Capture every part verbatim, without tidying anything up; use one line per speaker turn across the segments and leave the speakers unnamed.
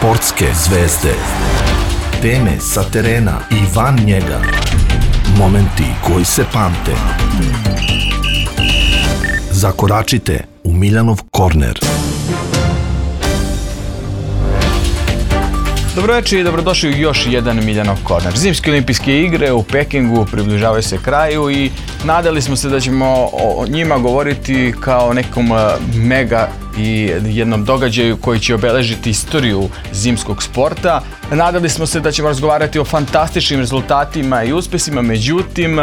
Sportske zvezde. Teme sa terena i van njega. Momenti koji se pamte. Zakoračite u Miljanov korner.
Dobroveče i dobrodošli u još jedan Miljanov korner. Zimske olimpijske igre u Pekingu približavaju se kraju i nadali smo se da ćemo o njima govoriti kao nekom mega i jednom događaju koji će obeležiti istoriju zimskog sporta. Nadali smo se da ćemo razgovarati o fantastičnim rezultatima i uspesima, međutim,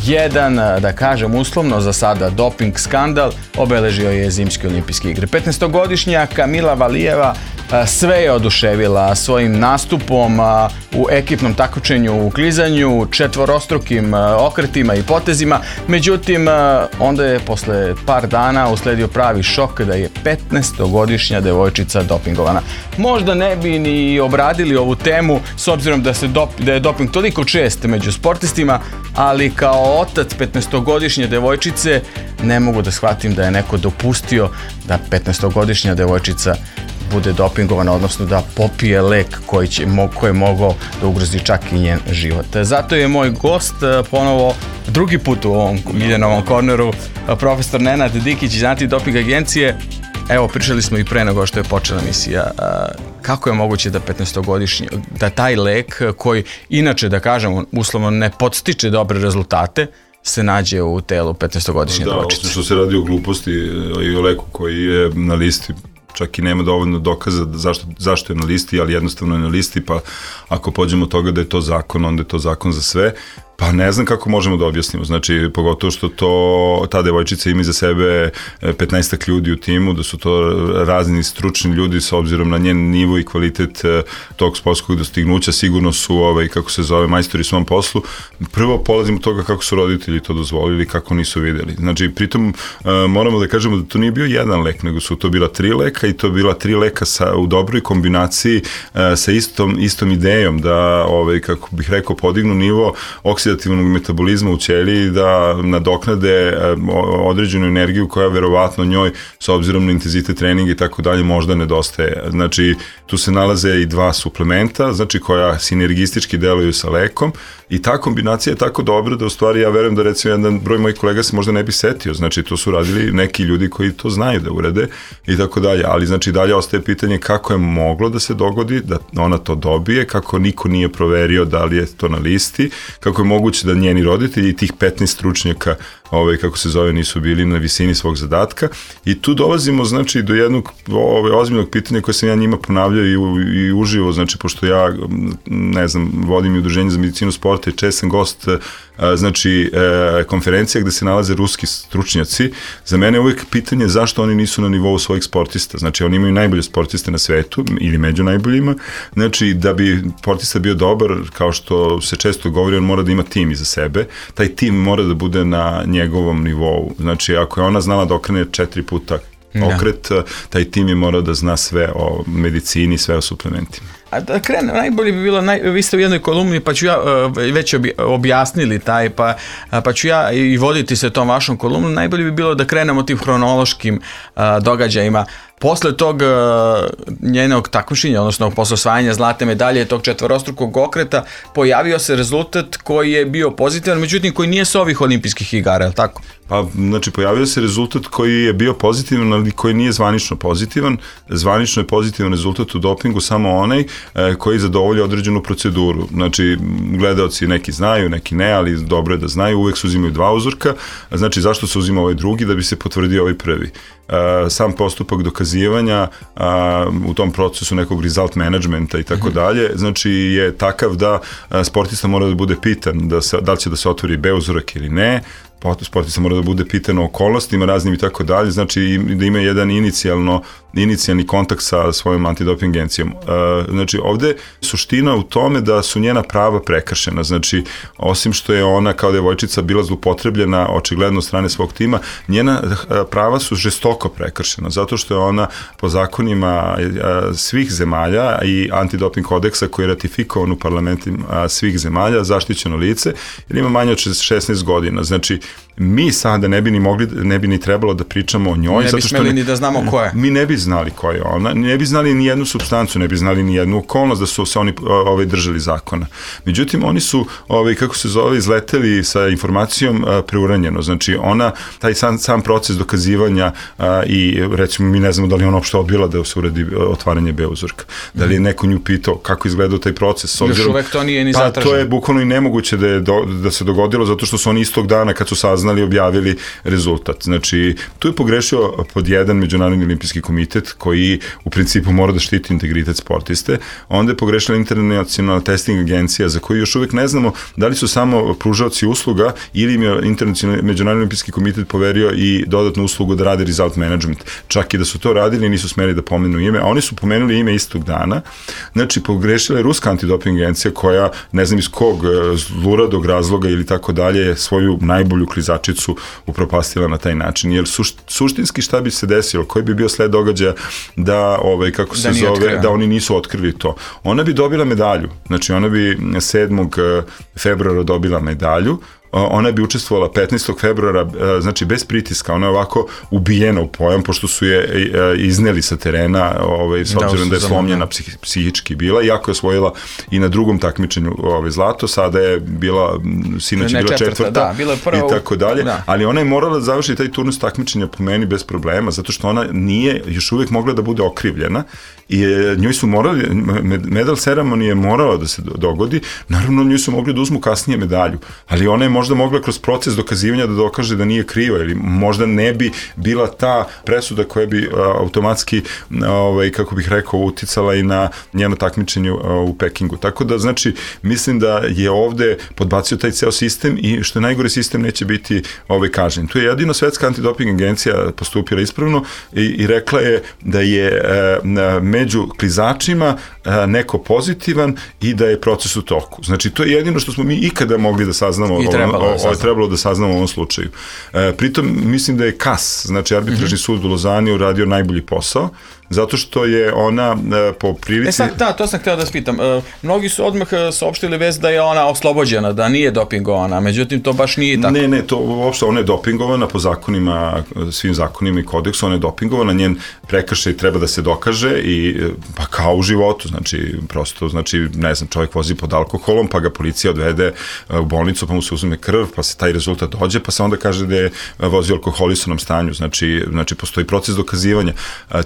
jedan, da kažem uslovno za sada, doping skandal obeležio je zimske olimpijske igre. petnaestogodišnja Kamila Valijeva sve je oduševila svojim nastupom u ekipnom takmičenju u klizanju, četvorostrukim okretima i potezima, međutim, onda je posle par dana usledio pravi šok da je petnaestogodišnja devojčica dopingovana. Možda ne bi ni obradili ovu temu s obzirom da, se dop, da je doping toliko čest među sportistima, ali kao otac petnaestogodišnje devojčice ne mogu da shvatim da je neko dopustio da petnaestogodišnja devojčica bude dopingovana, odnosno da popije lek koji, će, koji je mogao da ugrozi čak i njen život. Zato je moj gost ponovo drugi put u ovom Miljanovom korneru, profesor Nenad Dikić iz Antidoping agencije. Evo, pričali smo i pre nego što je počela emisija. Kako je moguće da petnaestogodišnji, da taj lek koji inače, da kažemo, uslovno ne podstiče dobre rezultate, se nađe u telu petnaestogodišnje devojčice?
Da, osim što se radi o gluposti i o leku koji je na listi, čak i nema dovoljno dokaza zašto, zašto je na listi, ali jednostavno je na listi, pa ako pođemo od toga da je to zakon, onda je to zakon za sve. Pa ne znam kako možemo da objasnimo, znači pogotovo što to, ta devojčica ima iza sebe petnaestak ljudi u timu, da su to razni stručni ljudi s obzirom na njen nivo i kvalitet tog sportskog dostignuća, sigurno su, ovaj, kako se zove, majstori svom poslu. Prvo polazimo od toga kako su roditelji to dozvolili, kako nisu videli. Znači, pritom moramo da kažemo da to nije bio jedan lek, nego su to bila tri leka i to bila tri leka sa, u dobroj kombinaciji sa istom, istom idejom da, ovaj, kako bih rekao, podignu nivo oksidativnog metabolizma u ćeliji, da nadoknade određenu energiju koja verovatno njoj, s obzirom na intenzitet treninga i tako dalje, možda nedostaje. Znači, tu se nalaze i dva suplementa, znači koja sinergistički deluju sa lekom i ta kombinacija je tako dobra da u stvari ja verujem da recimo jedan broj mojih kolega se možda ne bi setio, znači to su radili neki ljudi koji to znaju da urade i tako dalje, ali znači dalje ostaje pitanje kako je moglo da se dogodi, da ona to dobije, kako niko nije proverio da li je to na listi, kako je moguće da njeni roditelji i tih petnaest stručnjaka, ovaj, kako se zove, nisu bili na visini svog zadatka i tu dolazimo znači do jednog ovaj, ozbiljnog pitanja koje sam ja njima ponavljao i, u, i uživo, znači pošto ja ne znam, vodim i udruženje za medicinu sporta i čest sam gost znači konferencija gde se nalaze ruski stručnjaci. Za mene je uvijek pitanje zašto oni nisu na nivou svojih sportista, znači oni imaju najbolje sportiste na svetu ili među najboljima, znači da bi sportista bio dobar, kao što se često govori, on mora da ima tim iza sebe, taj tim mora da bude na njegovom nivou, znači ako je ona znala da okrene četiri puta okret, da. Taj tim je morao da zna sve o medicini, sve o suplementima.
A da krene, najbolje bi bilo, naj, vi ste u jednoj kolumni, pa ću ja uh, već obi, objasnili taj, pa, pa ću ja i voditi se tom vašom kolumnom, najbolje bi bilo da krenemo tim hronološkim uh, događajima. Posle tog uh, njenog takmičenja, odnosno posle osvajanja zlatne medalje, tog četvorostrukog okreta, pojavio se rezultat koji je bio pozitivan, međutim koji nije sa ovih olimpijskih igara, je li tako?
Pa, znači, pojavio se rezultat koji je bio pozitivan, ali koji nije zvanično pozitivan. Zvanično je pozitivan rezultat u dopingu samo onaj e, koji zadovolja određenu proceduru. Znači, gledaoci neki znaju, neki ne, ali dobro je da znaju, uvek se uzimaju dva uzorka. Znači, zašto se uzima ovaj drugi? Da bi se potvrdio ovaj prvi. Uh, sam postupak dokazivanja uh, u tom procesu nekog result managementa i tako dalje, znači je takav da uh, sportista mora da bude pitan da, se, da li će da se otvori B uzorak ili ne, sportista mora da bude pitan o okolnostima raznim i tako dalje, znači da ima jedan inicijalno, inicijalni kontakt sa svojom antidoping agencijom. Uh, znači ovde suština u tome da su njena prava prekršena, znači osim što je ona kao devojčica bila zloupotrebljena očigledno od strane svog tima, njena uh, prava su žestoko prekršena, zato što je ona po zakonima uh, svih zemalja i antidoping kodeksa koji je ratifikovan u parlamentima svih zemalja zaštićeno lice, jer ima manje od šesnaest godina, znači mi sada ne bi ni mogli, ne bi ni trebalo da pričamo o njoj.
Ne bi smeli ni da znamo ko je.
Mi ne bi znali ko je ona, ne bi znali ni jednu supstancu, ne bi znali ni jednu okolnost da su se oni ovaj, držali zakona. Međutim, oni su, ovaj, kako se zove, izleteli sa informacijom a, preuranjeno. Znači, ona, taj sam, sam proces dokazivanja a, i recimo mi ne znamo da li ona uopšte odbila da se uradi otvaranje B uzorka. Da li je neko nju pitao kako izgledao taj proces.
Obzirom, još uvek to nije ni zatraženo.
Pa to je bukvalno i nemoguće da, je do, da se dogodilo zato što su oni istog dana kad su saznali objavili rezultat. Znači, tu je pogrešio pod jedan Međunarodni olimpijski komitet koji u principu mora da štiti integritet sportiste. Onda je pogrešila internacionalna testing agencija za koju još uvek ne znamo da li su samo pružaoci usluga ili im je internacionalni Međunarodni olimpijski komitet poverio i dodatnu uslugu da rade result management. Čak i da su to radili nisu smeli da pomenu ime, a oni su pomenuli ime istog dana. Znači, pogrešila je ruska antidoping agencija koja, ne znam iz kog zluradog razloga ili tako dalje, svoju najbolju klizačicu upropastila na taj način. Jer sušt, suštinski šta bi se desilo, koji bi bio sled događaja da, ovaj, kako se da zove, otkrio. Da oni nisu otkrili to. Ona bi dobila medalju. Znači, ona bi sedmog februara dobila medalju. Ona bi učestvovala petnaestog februara, znači bez pritiska, ona je ovako ubijena u pojam, pošto su je izneli sa terena, ovaj, s obzirom da, da je slomljena psih, psihički bila, iako je osvojila i na drugom takmičenju ovaj, zlato, sada je bila, sinoć je bila četvrta,
da, bila je prva,
i tako dalje, da. Ali ona je morala da završi taj turnus takmičenja po meni bez problema, zato što ona nije još uvijek mogla da bude okrivljena i njoj su morali, medal ceremonije je morala da se dogodi, naravno njoj su mogli da uzmu kasnije medalju, ali ona je možda mogla kroz proces dokazivanja da dokaže da nije kriva ili možda ne bi bila ta presuda koja bi a, automatski, a, ovaj, kako bih rekao, uticala i na njeno takmičenje a, u Pekingu. Tako da, znači, mislim da je ovde podbacio taj ceo sistem i što je najgore, sistem neće biti ovaj, kažnjen. Tu je jedino Svetska antidoping agencija postupila ispravno i, i rekla je da je a, među klizačima a, neko pozitivan i da je proces u toku. Znači, to je jedino što smo mi ikada mogli da saznamo.
I trebalo,
o, o, o, trebalo da saznamo u ovom slučaju. E, pritom, mislim da je K A S, znači arbitražni mm-hmm. sud u Lozani, uradio najbolji posao, zato što je ona e, po prilici...
E sad, da, to sam htio da spitam. E, mnogi su odmah saopštili vez da je ona oslobođena, da nije dopingovana, međutim to baš nije tako.
Ne, ne, to uopšte ona je dopingovana po zakonima, svim zakonima i kodeksu, ona je dopingovana, njen prekršaj treba da se dokaže i pa kao u životu, znači prosto, znači, ne znam, čovjek vozi pod alkoholom, pa ga policija odvede u bolnicu, pa mu se uzme krv, pa se taj rezultat dođe, pa se onda kaže da je vozio u alkoholisanom stanju, znači, znači postoji proces dokazivanja.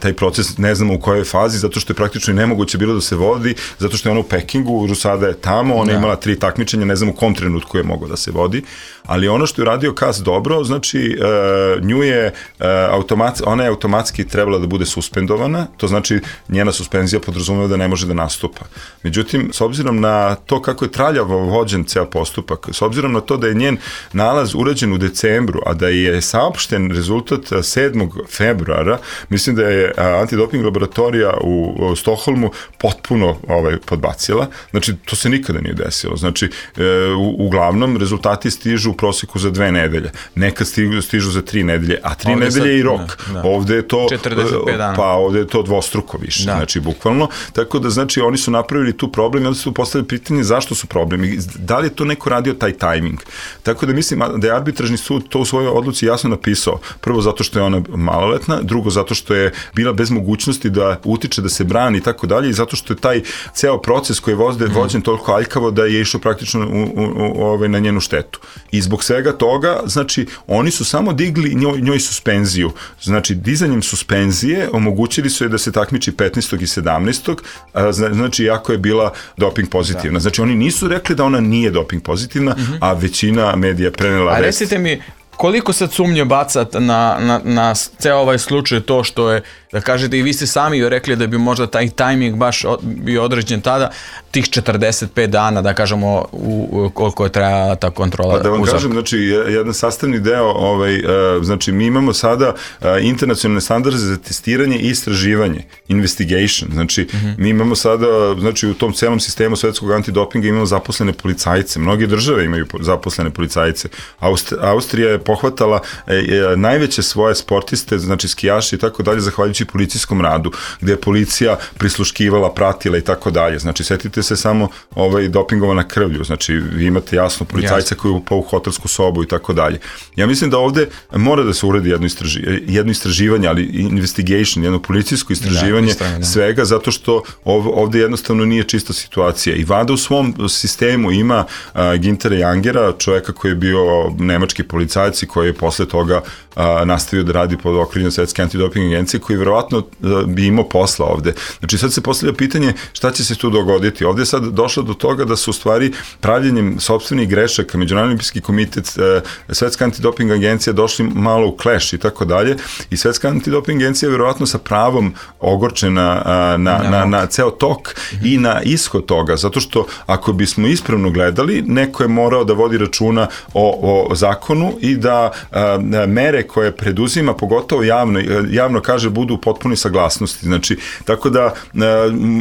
Taj proces ne znamo u kojoj fazi, zato što je praktično i nemoguće bilo da se vodi, zato što je ona u Pekingu, Rusada je tamo, ona je imala tri takmičenja, ne znam u kom trenutku je moglo da se vodi, ali ono što je radio K A S dobro, znači uh, nju je uh, automatski, ona je automatski trebala da bude suspendovana, to znači njena suspenzija podrazumeva da ne može da nastupa. Međutim, s obzirom na to kako je traljavo vođen ceo postupak, s obzirom na to da je njen nalaz urađen u decembru, a da je saopšten rezultat sedmog februara, mislim da je antidoping laboratorija u, u Stokholmu potpuno ovaj, podbacila. Znači, to se nikada nije desilo. Znači, e, u, uglavnom, rezultati stižu u proseku za dve nedelje. Nekad stižu, stižu za tri nedelje, a tri ovde nedelje sad, je i rok. Da, da. Ovde je to
četrdeset pet dana.
Pa ovde je to dvostruko više. Da. Znači, bukvalno. Tako da, znači, oni su napravili tu problem i onda su postavili pitanje zašto su problemi. Da li je to neko radio taj tajming? Tako da mislim da je arbitražni sud to u svojoj odluci jasno napisao. Prvo zato što je ona maloletna, drugo zato što je bila bez mogućnosti da utiče, da se brani i tako dalje i zato što je taj ceo proces koji je vođen, mm. vođen toliko aljkavo da je išao praktično u, u, u, ovaj, na njenu štetu. I zbog svega toga, znači, oni su samo digli njoj, njoj suspenziju. Znači, dizanjem suspenzije omogućili su je da se takmiči petnaestog i sedamnaestog A, znači, jako je bila doping pozitivna. Da. Znači, oni nisu rekli da ona nije doping pozitivna, mm-hmm. a većina medija prenela
a recite mi, koliko sad sumnje bacat na, na, na ceo ovaj slučaj to što je, da kažete, i vi ste sami rekli da bi možda taj tajming baš bio određen tada, tih četrdeset pet dana, da kažemo, u, u koliko je trajala ta kontrola.
Pa da vam
uzorka.
Kažem, znači, jedan sastavni deo, ovaj, uh, znači, mi imamo sada uh, internacionalne standarde za testiranje i istraživanje, investigation, znači, mm-hmm. mi imamo sada, znači, u tom celom sistemu svetskog antidopinga imamo zaposlene policajce, mnoge države imaju zaposlene policajce, Aust- Austrija je pohvatala e, e, najveće svoje sportiste, znači skijaši i tako dalje, zahvaljujući policijskom radu, gde je policija prisluškivala, pratila i tako dalje. Znači, setite se samo ovaj, dopingovana krvlju, znači vi imate jasno policajca koji je upao u hotelsku sobu i tako dalje. Ja mislim da ovde mora da se uredi jedno, istraži, jedno istraživanje, ali investigation, jedno policijsko istraživanje da, svega, zato što ov, ovde jednostavno nije čista situacija. I Vada u svom sistemu ima uh, Gintera Jangera, čoveka koji je bio nemački policajac i koji je posle toga uh, nastavio da radi pod okriljem Svetske antidoping agencije, koji verovatno uh, bi imao posla ovde. Znači sad se postavlja pitanje šta će se tu dogoditi. Ovde je sad došlo do toga da su u stvari pravljenjem sopstvenih grešaka Međunarodni olimpijski komitet, uh, Svetska antidoping agencija došli malo u clash i tako dalje. I Svetska antidoping agencija je verovatno sa pravom ogorčena uh, na, na, na ceo tok mm-hmm. i na ishod toga, zato što ako bismo ispravno gledali, neko je morao da vodi računa o, o zakonu i da a, mere koje preduzima, pogotovo javno, javno kaže, budu u potpunoj saglasnosti. Znači, tako da a,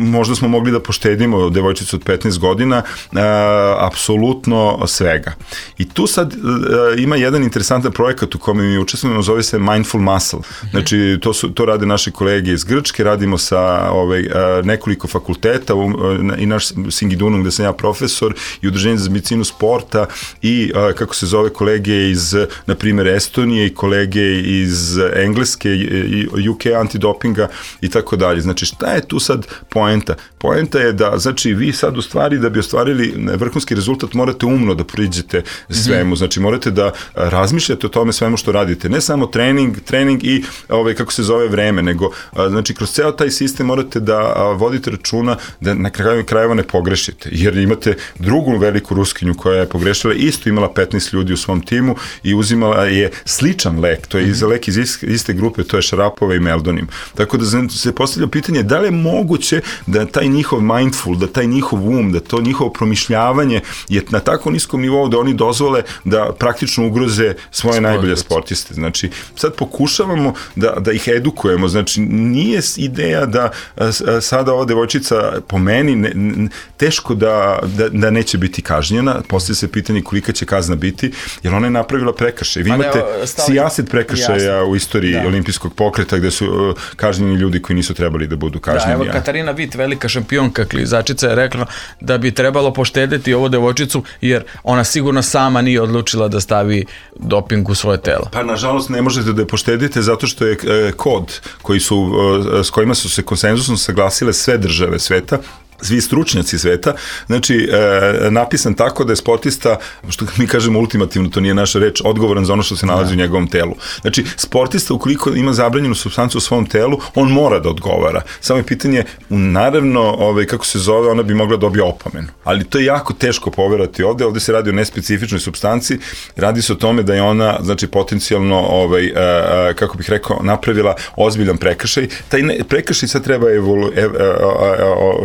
možda smo mogli da poštedimo devojčicu od petnaest godina, a, apsolutno svega. I tu sad a, ima jedan interesantan projekat u kome mi učestvujemo, zove se Mindful Muscle. Znači, to, su, to rade naše kolege iz Grčke, radimo sa ovaj, a, nekoliko fakulteta u, a, i naš Singidunum, gde sam ja profesor, i Udruženje za medicinu sporta i, a, kako se zove, kolege iz, na primjer, Estonije i kolege iz Engleske i U K antidopinga i tako dalje. Znači, šta je tu sad poenta? Poenta je da, znači, vi sad u stvari, da bi ostvarili vrhunski rezultat, morate umno da priđete svemu. Znači, morate da razmišljate o tome svemu što radite. Ne samo trening, trening i, ovaj, kako se zove, vreme, nego, a, znači, kroz ceo taj sistem morate da a, vodite računa da na kraju krajeva ne pogrešite, jer imate drugu veliku Ruskinju koja je pogrešila, isto imala petnaest ljudi u svom timu i uzimala je sličan lek, to je mm-hmm. lek iz iste grupe, to je Šarapova i Meldonim. Tako da se postavlja pitanje da li je moguće da taj njihov mindful, da taj njihov um, da to njihovo promišljavanje je na tako niskom nivou da oni dozvole da praktično ugroze svoje Sport, najbolje sportiste. Znači, sad pokušavamo da, da ih edukujemo, znači nije ideja da a, a, sada ova devojčica po meni ne, ne, teško da, da, da neće biti kažnjena, poslije se pitanje kolika će kazna biti, jer ona je napravila prekršaj. Vi imate sijaset prekršaja jasno. U istoriji da. Olimpijskog pokreta gde su uh, kažnjeni ljudi koji nisu trebali da budu kažnjeni.
Da, evo Katarina Vit, velika šampionka klizačica, je rekla da bi trebalo poštedeti ovu devojčicu, jer ona sigurno sama nije odlučila da stavi doping u svoje telo.
Pa nažalost ne možete da je poštedite zato što je uh, kod koji su, uh, s kojima su se konsenzusom saglasile sve države sveta, svi stručnjaci sveta, znači e, napisan tako da je sportista, što mi kažemo ultimativno, to nije naša reč, odgovoran za ono što se nalazi da. U njegovom telu. Znači, sportista ukoliko ima zabranjenu supstancu u svom telu, on mora da odgovara. Samo je pitanje, naravno, ovaj, kako se zove, ona bi mogla dobiti opomenu. Ali to je jako teško poverati ovde, ovde se radi o nespecifičnoj supstanci, radi se o tome da je ona, znači, potencijalno, ovaj, e, e, kako bih rekao, napravila ozbiljan prekršaj. Taj ne, prekršaj sad treba evolu, ev, e,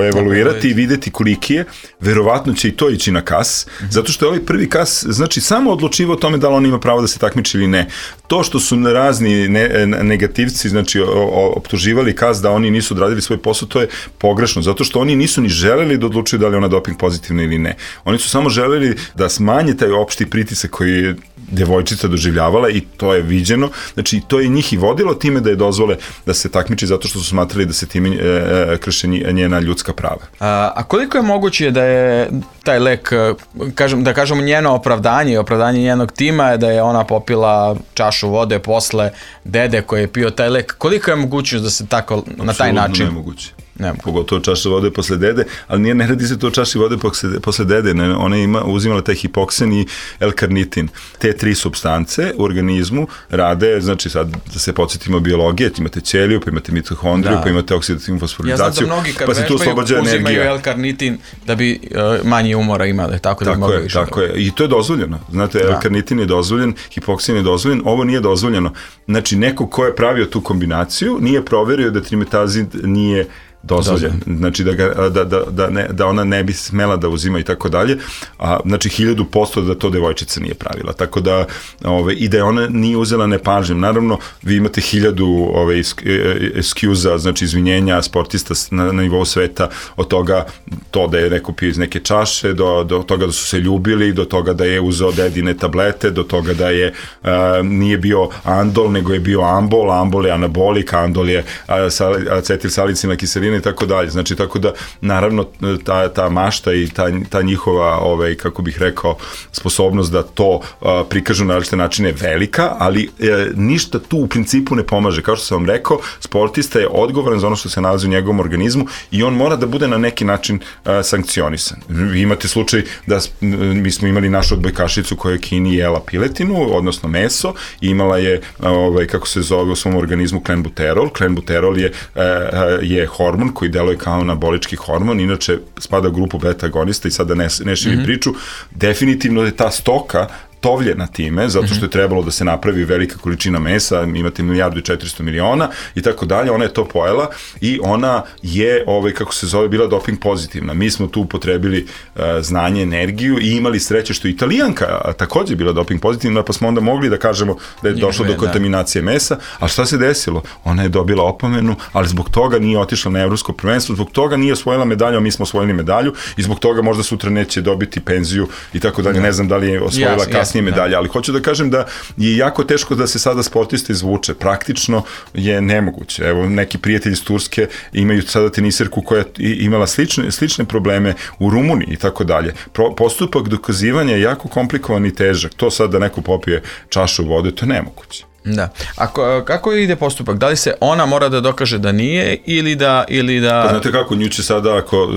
e, evoluirati i videti koliki je, verovatno će i to ići na kas, mm-hmm. zato što je ovaj prvi kas, znači, samo odlučivo o tome da li on ima pravo da se takmiči ili ne. To što su razni ne, negativci, znači, optuživali kas da oni nisu odradili svoj posao, to je pogrešno, zato što oni nisu ni želeli da odlučuju da li je ona doping pozitivna ili ne. Oni su samo želeli da smanje taj opšti pritisak koji je devojčica doživljavala i to je viđeno, znači to je njih i vodilo time da je dozvole da se takmiči zato što su smatrali da se time e, e, krše njena ljudska prava.
A, a koliko je moguće da je taj lek, kažem, da kažemo njeno opravdanje, opravdanje njenog tima je da je ona popila čašu vode posle dede koji je pio taj lek, koliko je mogućnost da se tako na taj način?
Apsolutno nemoguće. Nema. Pogotovo čaša vode posle dede, ali nije, ne radi se to o čaši vode posle, posle dede, ne, ona ima, uzimala taj hipoksen i L-karnitin. Te tri supstance u organizmu rade, znači sad da se podsjetimo biologije, imate ćeliju, pa imate mitohondriju, da. Pa imate oksidativnu fosforizaciju,
ja znam da mnogi kad
pa se tu oslobađa energija.
Uzimaju L-karnitin da bi uh, manje umora imali, tako da
tako
bi mogli
je,
više.
Tako je, i to je dozvoljeno. Znate, da. L-karnitin je dozvoljen, hipoksen je dozvoljen, ovo nije dozvoljeno. Znači, neko ko je pravio tu kombinaciju nije proverio da trimetazid nije dozvoljen. Znači da, ga, da, da, da, ne, da ona ne bi smela da uzima i tako dalje. A, znači hiljadu posto da to devojčica nije pravila. Tako da, ove, i da je ona nije uzela nepažnjom. Naravno, vi imate hiljadu ove, ekskuza, znači izvinjenja sportista na, na nivou sveta, od toga to da je neko pio iz neke čaše, do, do toga da su se ljubili, do toga da je uzeo dedine tablete, do toga da je uh, nije bio andol, nego je bio ambol, ambol je anabolik, andol je acetil salicilna kiselina i tako dalje. Znači, tako da, naravno, ta, ta mašta i ta, ta njihova, ovaj, kako bih rekao, sposobnost da to uh, prikažu na različite načine je velika, ali e, ništa tu u principu ne pomaže. Kao što sam vam rekao, sportista je odgovoran za ono što se nalazi u njegovom organizmu i on mora da bude na neki način uh, sankcionisan. Vi imate slučaj da mi smo imali našu odbojkašicu koja je Kini jela piletinu, odnosno meso, i imala je, ovaj, kako se zove u svom organizmu, klenbuterol. Klenbuterol je, je hormon koji deluje kao anabolički hormon, inače spada u grupu beta agonista i sada ne, ne širim mm-hmm. priču. Definitivno je ta stoka tovljena time, zato što je trebalo da se napravi velika količina mesa, imate milijardu i četiristo miliona i tako dalje, ona je to pojela i ona je, ovaj, kako se zove, bila doping pozitivna. Mi smo tu upotrebili uh, znanje, energiju i imali sreće što Italijanka takođe bila doping pozitivna, pa smo onda mogli da kažemo da je došlo do kontaminacije mesa, a šta se desilo? Ona je dobila opomenu, ali zbog toga nije otišla na evropsko prvenstvo, zbog toga nije osvojila medalju, a mi smo osvojili medalju i zbog toga možda sutra neće dobiti penziju i tako dalje. Ne znam da li je osvojila kasnije medalje, ali hoću da kažem da je jako teško da se sada sportista izvuče. Praktično je nemoguće. Evo, neki prijatelji iz Turske imaju sada teniserku koja je imala slične, slične probleme u Rumuniji i tako dalje. Postupak dokazivanja je jako komplikovan i težak. To sad da neko popije čašu vode, to je nemoguće.
Da. A kako ide postupak? Da li se ona mora da dokaže da nije ili da... Ili da...
Pa znate kako, nju će sada, ako,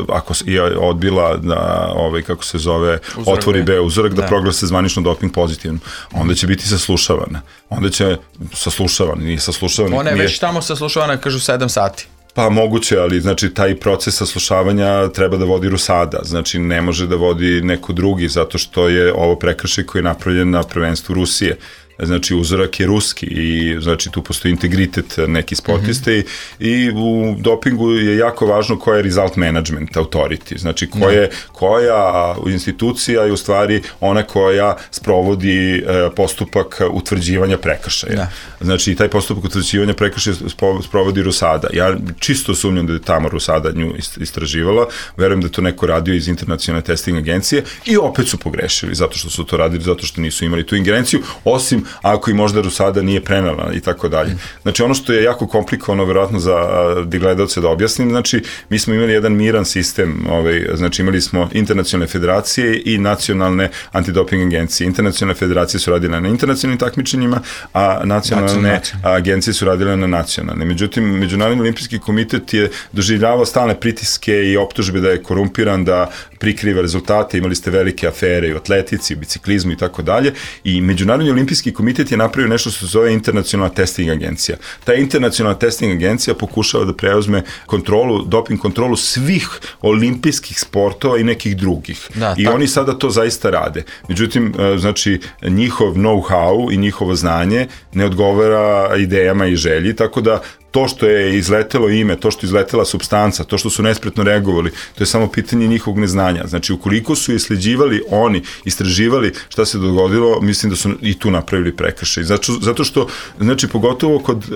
ako je odbila da, ovaj, kako se zove, uzorak otvori B uzorak, da, da proglase zvanično doping pozitivno, onda će biti saslušavana. Onda će saslušavana, nije saslušavana.
Ona je nije... već tamo saslušavana, kažu sedam sati.
Pa moguće, ali znači taj proces saslušavanja treba da vodi RUSADA, znači ne može da vodi neko drugi, zato što je ovo prekršaj koji je napravljen na prvenstvu Rusije. Znači uzorak je ruski i znači tu postoji integritet neki sportiste mm-hmm. i, i u dopingu je jako važno koja je result management authority, znači koje, koja institucija je u stvari ona koja sprovodi e, postupak utvrđivanja prekršaja. Da. Znači taj postupak utvrđivanja prekršaja sprovodi RUSADA. Ja čisto sumnjam da je tamo RUSADA nju istraživala, verujem da to neko radio iz internacionalne testing agencije i opet su pogrešili zato što su to radili, zato što nisu imali tu ingerenciju, osim ako i možda RUSADA nije prenela i tako dalje. Znači ono što je jako komplikovano verovatno za gledalce da objasnim, znači mi smo imali jedan miran sistem, ovaj, znači imali smo internacionalne federacije i nacionalne antidoping agencije. Internacionalne federacije su radile na internacionalnim takmičenjima, a nacionalne agencije su radile na nacionalne. Međutim, Međunarodni olimpijski komitet je doživljavao stalne pritiske i optužbe da je korumpiran, da prikriva rezultate, imali ste velike afere i u atletici, u biciklizmu i tako dalje, i Međunarodni olimpijski komitet je napravio nešto što se zove internacionalna testing agencija. Ta internacionalna testing agencija pokušava da preuzme kontrolu, doping kontrolu svih olimpijskih sportova i nekih drugih. Da, I tako. Oni sada to zaista rade. Međutim, znači, njihov know-how i njihovo znanje ne odgovara idejama i želji, tako da to što je izletelo ime, to što je izletela supstanca, to što su nespretno reagovali, to je samo pitanje njihovog neznanja. Znači, ukoliko su isleđivali oni, istraživali šta se dogodilo, mislim da su i tu napravili prekršaj. Zato, zato što, znači, pogotovo kod uh,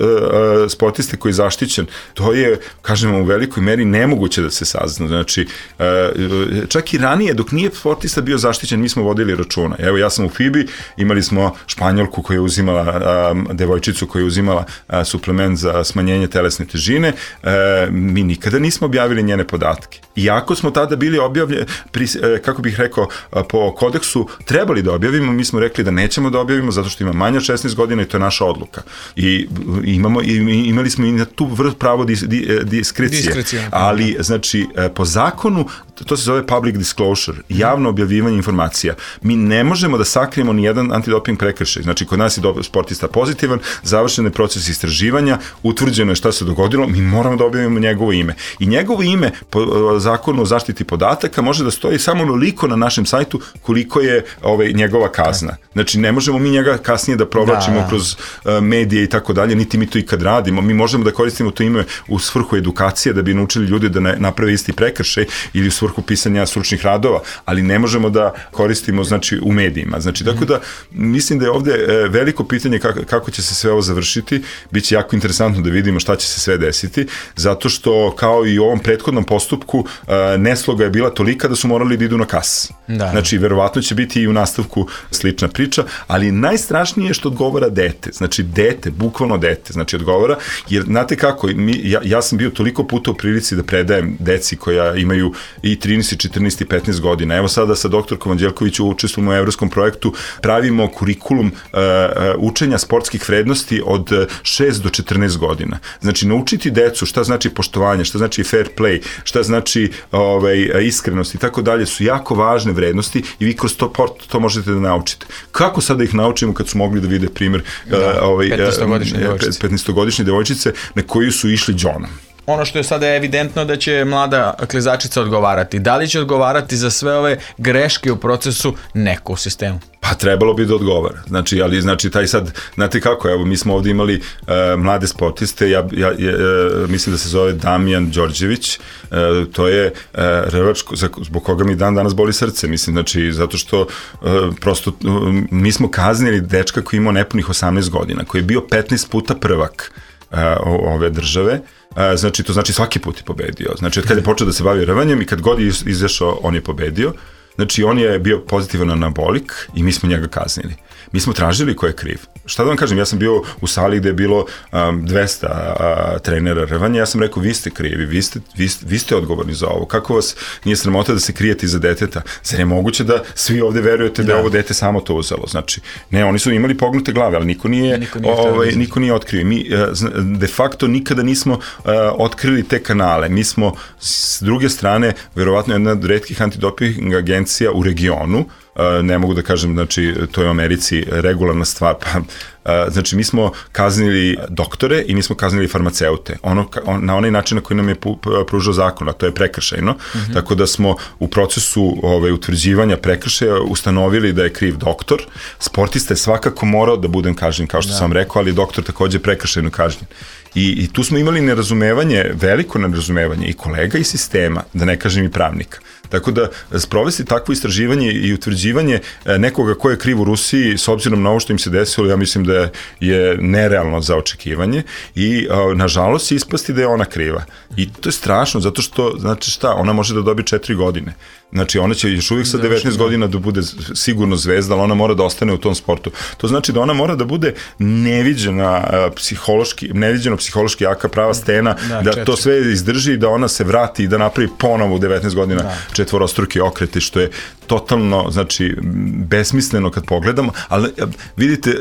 sportiste koji je zaštićen, to je, kažemo, u velikoj meri nemoguće da se sazna. Znači, uh, čak i ranije, dok nije sportista bio zaštićen, mi smo vodili računa. Evo, ja sam u F I B I, imali smo Španjolku koja je uzimala, uh, devojčicu koja je uzimala uh, suplement za smanjenje telesne težine, e, mi nikada nismo objavili njene podatke. Iako smo tada bili objavljeni, e, kako bih rekao, po kodeksu trebali da objavimo, mi smo rekli da nećemo da objavimo zato što ima manje od šesnaest godina i to je naša odluka. I imamo, i, imali smo i na tu vrh pravo dis, di, diskrecije. Diskrecija. Ali, znači, po zakonu, to se zove public disclosure, javno objavljivanje informacija. Mi ne možemo da sakrijemo ni jedan antidoping prekršaj. Znači, kod nas je sportista pozitivan, završen je proces istraživanja, utvrđeno je šta se dogodilo, mi moramo da objavimo njegovo ime. I njegovo ime po zakonu o zaštiti podataka može da stoji samo onoliko na našem sajtu koliko je ovaj, njegova kazna. Znači, ne možemo mi njega kasnije da provlačimo da, da. kroz uh, medije i tako dalje, niti mi to ikad radimo. Mi možemo da koristimo to ime u svrhu edukacije, da bi naučili ljudi da ne naprave isti prekršaj ili u svrhu pisanja stručnih radova, ali ne možemo da koristimo, znači, u medijima. Znači, tako da, mislim da je ovde e, veliko pitanje kako, kako će se sve ovo završiti. Biće jako interesantno da vidimo šta će se sve desiti, zato što, kao i u ovom prethodnom postupku, e, nesloga je bila tolika da su morali da idu na kas. Da. Znači, verovatno će biti i u nastavku slična priča, ali najstrašnije je što odgovara dete. Znači, dete, bukvalno dete, znači odgovara, jer znate kako, mi, ja, ja sam bio toliko puta u prilici da predajem deci koja imaju i trinaest, četrnaest i petnaest godina. Evo sada sa doktorkom Anđelković učestvujemo u evropskom projektu, pravimo kurikulum uh, učenja sportskih vrednosti od šest do četrnaest godina. Znači, naučiti decu šta znači poštovanje, šta znači fair play, šta znači ovaj, iskrenost i tako dalje su jako važne vrednosti i vi kroz to, to možete da naučite. Kako sad da ih naučimo kad su mogli da vide primjer da, uh, ovaj, petnaestogodišnje devojčice na koju su išli džonom?
Ono što je sada evidentno da će mlada klizačica odgovarati. Da li će odgovarati za sve ove greške u procesu? Neko u sistemu.
Pa trebalo bi da odgovara. Znači, ali znači taj sad, znate kako, evo mi smo ovdje imali uh, mlade sportiste, ja, ja, ja uh, mislim da se zove Damjan Đorđević, uh, to je uh, rvač zbog koga mi dan danas boli srce, mislim, znači, zato što uh, prosto uh, mi smo kaznili dečka koji imao nepunih osamnaest godina, koji je bio petnaest puta prvak uh, ove države. Znači, to znači svaki put je pobedio. Znači, od kada je počeo da se bavi rvanjem i kad god je izašao, on je pobedio. Znači, on je bio pozitivan anabolik i mi smo njega kaznili. Mi smo tražili ko je kriv. Šta da vam kažem, ja sam bio u sali gde je bilo um, dvesta uh, trenera rvanja, ja sam rekao, vi ste krivi, vi ste, vi, ste, vi ste odgovorni za ovo. Kako vas nije sramota da se krijete iza deteta? Zar je moguće da svi ovde verujete da, da je ovo dete samo to uzelo? Znači, ne, oni su imali pognute glave, ali niko nije, niko nije, ovaj, niko nije otkrio. Mi uh, de facto nikada nismo uh, otkrili te kanale. Mi smo, s druge strane, verovatno jedna od retkih antidoping agencija u regionu, ne mogu da kažem, znači, to je u Americi regularna stvar, pa, znači, mi smo kaznili doktore i mi smo kaznili farmaceute, ono, on, na onaj način na koji nam je pružao zakon, a to je prekršajno, mm-hmm. tako da smo u procesu ovaj, utvrđivanja prekršaja ustanovili da je kriv doktor, sportista je svakako morao da budem kažnjen, kao što da. sam rekao, ali doktor takođe prekršajno kažnjen. I, I tu smo imali nerazumevanje, veliko nerazumevanje i kolega i sistema, da ne kažem i pravnika. Tako da sprovesti takvo istraživanje i utvrđivanje nekoga ko je kriv u Rusiji, s obzirom na ovo što im se desilo, ja mislim da je nerealno za očekivanje i nažalost ispasti da je ona kriva. I to je strašno, zato što, znači šta, ona može da dobije četiri godine. Znači, ona će još uvijek sa devetnaest godina da bude sigurno zvezda, ali ona mora da ostane u tom sportu. To znači da ona mora da bude neviđena psihološki, neviđeno psihološki jaka prava stena, da, da to sve izdrži i da ona se vrati i da napravi ponovo u devetnaest godina da. četvorostruki okreti, što je totalno, znači, besmisleno kad pogledamo, ali vidite,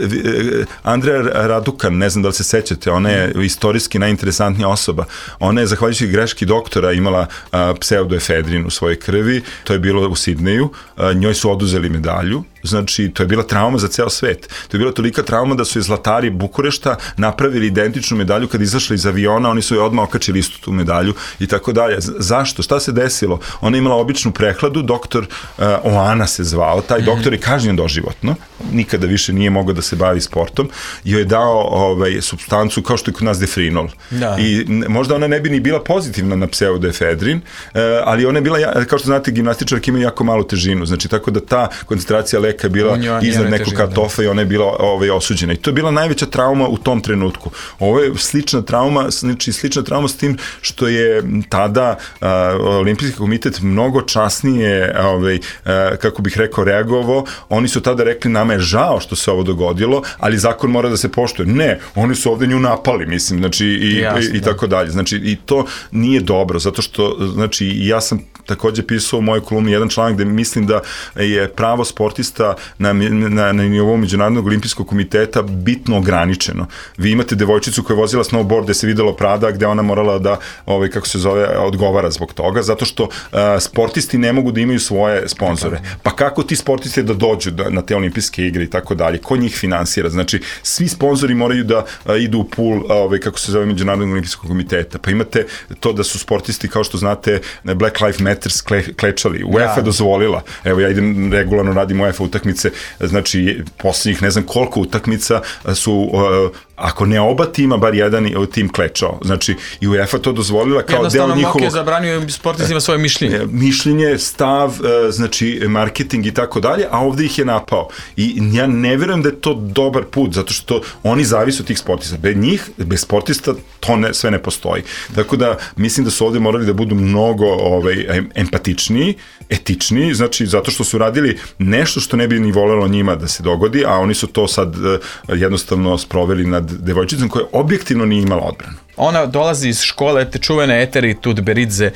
Andreja Radukan, ne znam da li se sećate, ona je istorijski najinteresantnija osoba. Ona je, zahvaljujući greški doktora, imala a, pseudoefedrin u svojoj krvi, to je bilo u Sidneju, a, njoj su oduzeli medalju, znači, to je bila trauma za ceo svet. To je bila tolika trauma da su je zlatari Bukurešta napravili identičnu medalju kad izašli iz aviona, oni su je odmah okačili istu tu medalju i tako dalje. Zašto? Šta se desilo? Ona je imala običnu prehladu, doktor uh, Oana se zvao, taj doktor je kažnjen doživotno, nikada više nije mogao da se bavi sportom, i joj je dao ovaj, supstancu kao što je kod nas defrinol. Da. I možda ona ne bi ni bila pozitivna na pseudoefedrin, uh, ali ona je bila, kao što znate, gimnastičarke imaju jako malu težinu, znači tako da ta koncentracija leka je bila iznad nekog kartofa i ona je bila ovaj, osuđena. I to je bila najveća trauma u tom trenutku. Ovo je slična trauma, znači slična trauma s tim što je tada uh, Olimpijski komitet mnogo časnije, ovaj, uh, kako bih rekao, reagovao. Oni su tada rekli, nama je žao što se ovo dogodilo, ali zakon mora da se poštuje. Ne, oni su ovde nju napali, mislim, znači i, Jasne, i, i tako dalje. Znači, i to nije dobro, zato što, znači, ja sam takođe pisao u mojoj kolumni jedan članak gde mislim da je pravo sportista sada na, na, na nivou Međunarodnog olimpijskog komiteta bitno ograničeno. Vi imate devojčicu koja je vozila snowboard gde se videlo Prada, gde ona morala da, ovaj, kako se zove, odgovara zbog toga, zato što uh, sportisti ne mogu da imaju svoje sponzore. Pa kako ti sportisti da dođu da, na te olimpijske igre i tako dalje? Ko njih finansira? Znači, svi sponzori moraju da uh, idu u pool, uh, ovaj, kako se zove, Međunarodnog olimpijskog komiteta. Pa imate to da su sportisti, kao što znate, Black Lives Matter kle, klečali. UEFA ja. dozvolila. Evo, ja idem regularno, radim UEFA utakmice, znači, posljednjih ne znam koliko utakmica su, uh, ako ne oba tima, bar jedan tim klečao. Znači, i UEFA to dozvolila kao deo njihovog...
Jednostavno, Moke zabranio sportistima svoje mišljenje.
Mišljenje, stav, znači, marketing i tako dalje, a ovde ih je napao. I ja ne verujem da je to dobar put, zato što oni zavise od tih sportista. Bez njih, bez sportista, to ne, sve ne postoji. Tako da, mislim da su ovde morali da budu mnogo ovaj, empatičniji, etičniji, znači, zato što su radili nešto što ne bi ni volelo njima da se dogodi, a oni su to sad uh, jednostavno sproveli nad devojčicom koja objektivno nije imala odbranu.
Ona dolazi iz škole te čuvene Eteri Tudberidze,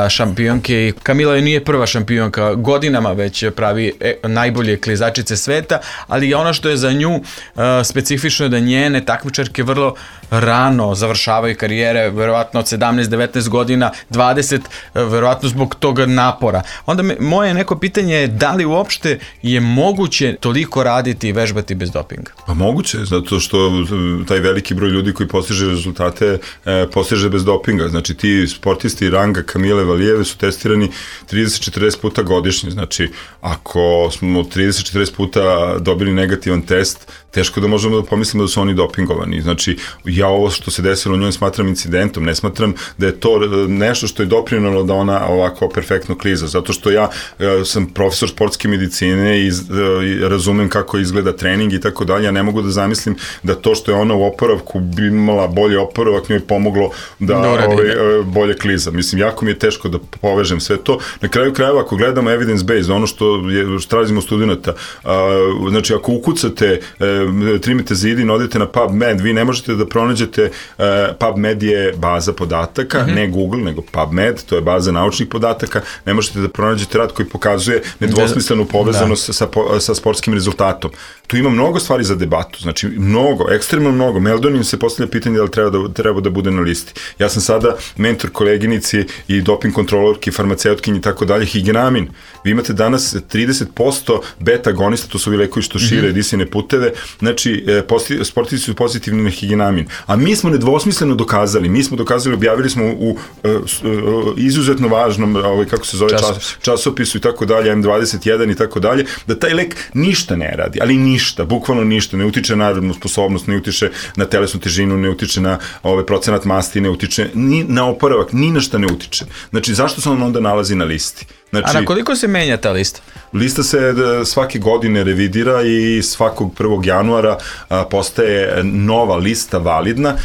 šampionke, i Kamila je nije prva šampionka, godinama već pravi najbolje klizačice sveta, ali ono što je za nju specifično je da njene takmičarke vrlo rano završavaju karijere, verovatno od sedamnaest devetnaest godina, dvadeset, verovatno zbog toga napora. Onda me, moje neko pitanje je da li uopšte je moguće toliko raditi i vežbati bez dopinga?
Pa moguće, zato što taj veliki broj ljudi koji postiže rezultate e, postiže bez dopinga. Znači ti sportisti ranga Kamile Valijeve su testirani trideset četrdeset puta godišnje. Znači ako smo trideset četrdeset puta dobili negativan test, teško da možemo da pomislimo da su oni dopingovani. Znači ja ovo što se desilo u njoj smatram incidentom, ne smatram da je to nešto što je doprinalo da ona ovako perfektno kliza, zato što ja e, sam profesor sportske medicine i e, razumem kako izgleda trening i tako dalje, ja ne mogu da zamislim da to što je ona u oporavku bi imala bolje oporavak, njoj pomoglo da ovaj, bolje kliza. Mislim, jako mi je teško da povežem sve to. Na kraju krajeva, ako gledamo evidence based, ono što, je, što tražimo studenta, a, znači ako ukucate, e, trimite zidin, odete na PubMed, vi ne možete da pronađete, e, PubMed je baza podataka, mm-hmm. ne Google, nego PubMed, to je baza naučnih podataka, ne možete da pronađete rad koji pokazuje nedvosmislenu povezanost da. sa, sa sportskim rezultatom. Tu ima mnogo stvari za debatu, znači mnogo, ekstremno mnogo. Meldonim se postavlja pitanje da li treba da, treba da bude na listi. Ja sam sada mentor koleginici i doping kontrolorki, farmaceutkinji i tako dalje, higenamin. Vi imate danas trideset posto beta agonista, to su ovi lekovi što šire mm-hmm. disajne puteve, znači sportisti su pozitivni na higenamin. A mi smo nedvosmisleno dokazali, mi smo dokazali, objavili smo u, u, u izuzetno važnom, ovaj, kako se zove, čas, časopisu i tako dalje, M dvadeset jedan i tako dalje, da taj lek ništa ne radi, ali ništa, bukvalno ništa, ne utiče na radnu sposobnost, ne utiče na telesnu težinu, ne utiče na ovaj, procenat masti, ne utiče ni na oporavak, ni na šta ne utiče. Znači, zašto se on onda nalazi na listi? Znači,
a na koliko se menja ta lista?
Lista se svake godine revidira i svakog prvog januara a, postaje nova lista validna.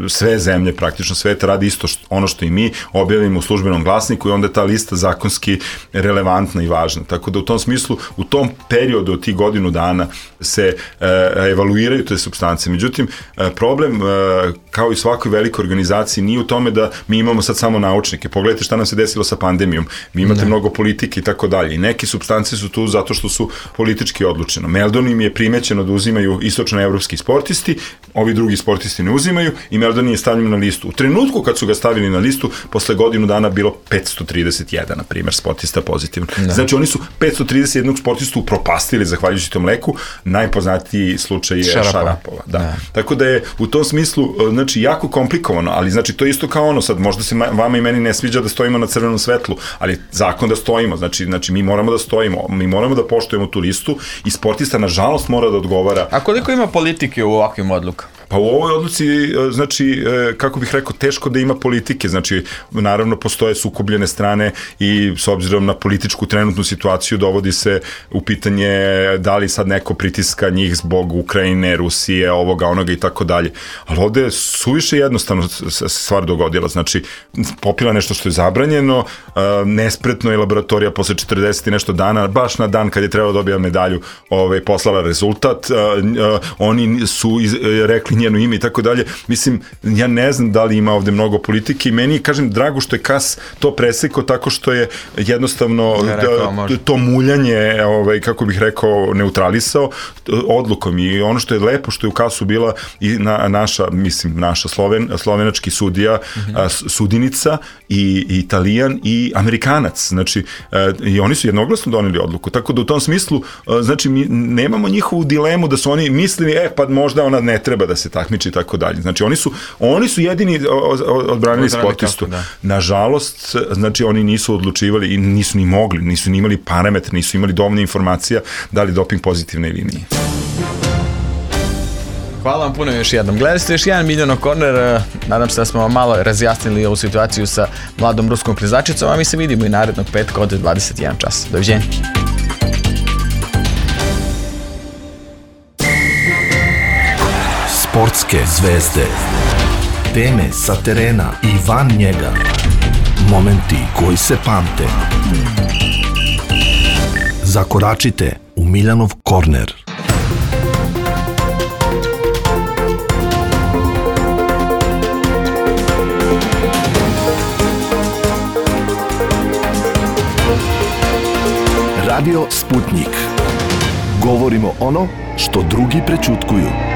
Sve zemlje, praktično sveta, radi isto što, ono što i mi objavimo u službenom glasniku i onda je ta lista zakonski relevantna i važna. Tako da u tom smislu, u tom periodu od tih godinu dana se e, evaluiraju te supstance. Međutim, e, problem, e, kao i svakoj velikoj organizaciji, nije u tome da mi imamo sad samo naučnike. Pogledajte šta nam se desilo sa pandemijom. Vi imate ne. mnogo politike i tako dalje. I neke supstance su tu zato što su politički odlučeno. Meldon im je primećeno da uzimaju istočnoevropski sportisti, ovi drugi sportisti ne uzimaju i Meldon je stavljen na listu. U trenutku kad su ga stavili na listu, posle godinu dana bilo petsto trideset jedan, na primjer, sportista pozitivno. Ne. Znači oni su petsto trideset jedan sportistu upropastili zahvaljujući tom leku. Najpoznatiji slučaj je Šarapova. Šarapova da. Tako da je u tom smislu znači jako komplikovano, ali znači to je isto kao ono sad, možda se vama i meni ne sviđa da stojimo na crvenom svetlu, ali zakon da stojimo, znači, znači mi moramo da stojimo, mi moramo da poštujemo tu listu i sportista nažalost mora da odgovara.
A koliko ima politike u ovakvim odlukama?
Pa u ovoj odluci, znači, kako bih rekao, teško da ima politike, znači, naravno postoje sukobljene strane i s obzirom na političku trenutnu situaciju dovodi se u pitanje da li sad neko pritiska njih zbog Ukrajine, Rusije, ovoga, onoga i tako dalje. Ali ovde je suviše jednostavno stvar dogodila, znači, popila nešto što je zabranjeno, nespretno je laboratorija posle četrdeset i nešto dana, baš na dan kad je trebalo dobija medalju, ovaj, poslala rezultat, oni su iz, rekli njeno ime i tako dalje. Mislim, ja ne znam da li ima ovde mnogo politike i meni, kažem, drago što je Kas to presekao tako što je jednostavno
rekao,
da, to muljanje, ovaj, kako bih rekao, neutralisao odlukom i ono što je lepo što je u Kasu bila i na, naša, mislim, naša Sloven, slovenački sudija, mm-hmm. a, sudinica i, i Italijan i Amerikanac, znači a, i oni su jednoglasno doneli odluku, tako da u tom smislu, a, znači mi nemamo njihovu dilemu da su oni mislili, e pa možda ona ne treba da se takmiči i tako dalje, znači oni su, oni su jedini odbranili sportistu. Da. Nažalost, znači oni nisu odlučivali i nisu ni mogli, nisu ni imali parametre, nisu imali dovoljno informacija da li doping pozitivna ili nije.
Hvala vam puno još jednom. Gledali ste još jedan Miljanov korner, nadam se da smo vam malo razjasnili ovu situaciju sa mladom ruskom klizačicom, a mi se vidimo i narednog petka od dvadeset jedan čas. Doviđenja.
Sportske zvezde, teme sa terena i van njega, momenti koji se pamte. Zakoračite u Miljanov korner. Radio Sputnik. Govorimo ono što drugi prećutkuju.